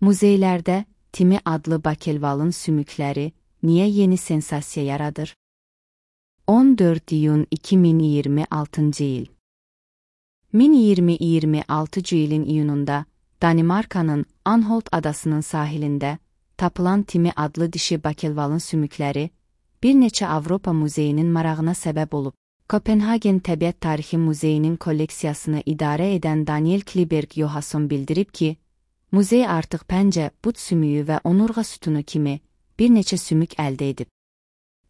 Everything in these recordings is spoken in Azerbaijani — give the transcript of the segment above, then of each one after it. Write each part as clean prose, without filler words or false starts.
Muzeylərdə Timi adlı bakelvalın sümükləri niyə yeni sensasiya yaradır? 14 iyun 2026 il. 2026 ilin iyununda Danimarkanın Anholt adasının sahilində tapılan Timi adlı dişi bakelvalın sümükləri bir neçə Avropa muzeyinin marağına səbəb olub. Kopenhagen Təbiət Tarixi Muzeyinin kolleksiyasını idarə edən Daniel Kliberg Johansson bildirib ki, muzey artıq pəncə, but sümüyü və onurğa sütunu kimi bir neçə sümük əldə edib.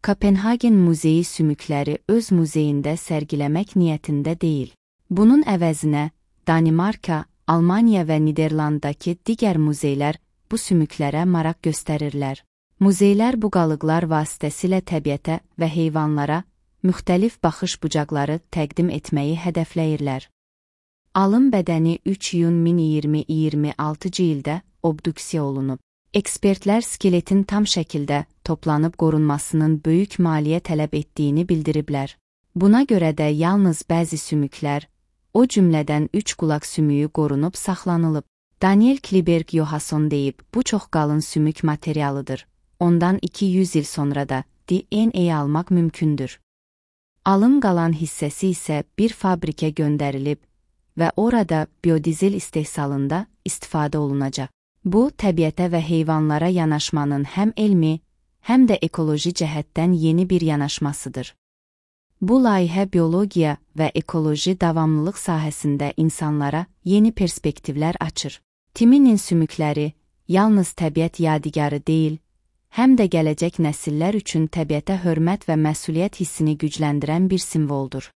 Kopenhagen Muzeyi sümükləri öz muzeyində sərgiləmək niyyətində deyil. Bunun əvəzinə Danimarka, Almaniya və Niderlanddakı digər muzeylər bu sümüklərə maraq göstərirlər. Muzeylər bu qalıqlar vasitəsilə təbiətə və heyvanlara müxtəlif baxış bucaqları təqdim etməyi hədəfləyirlər. Alın bədəni 3 iyun 2026 ildə obduksiya olunub. Ekspertlər skeletin tam şəkildə toplanıb qorunmasının böyük maliyyə tələb etdiyini bildiriblər. Buna görə də yalnız bəzi sümüklər, o cümlədən 3 qulaq sümüyü qorunub saxlanılıb. Daniel Kliberg Johansson deyib, bu çox qalın sümük materialıdır. Ondan 200 il sonra da DNA almaq mümkündür. Alın qalan hissəsi isə bir fabrikə göndərilib və orada biodizel istehsalında istifadə olunacaq. Bu, təbiətə və heyvanlara yanaşmanın həm elmi, həm də ekoloji cəhətdən yeni bir yanaşmasıdır. Bu layihə biologiya və ekoloji davamlılıq sahəsində insanlara yeni perspektivlər açır. Timinin sümükləri yalnız təbiət yadigarı deyil, həm də gələcək nəsillər üçün təbiətə hörmət və məsuliyyət hissini gücləndirən bir simvoldur.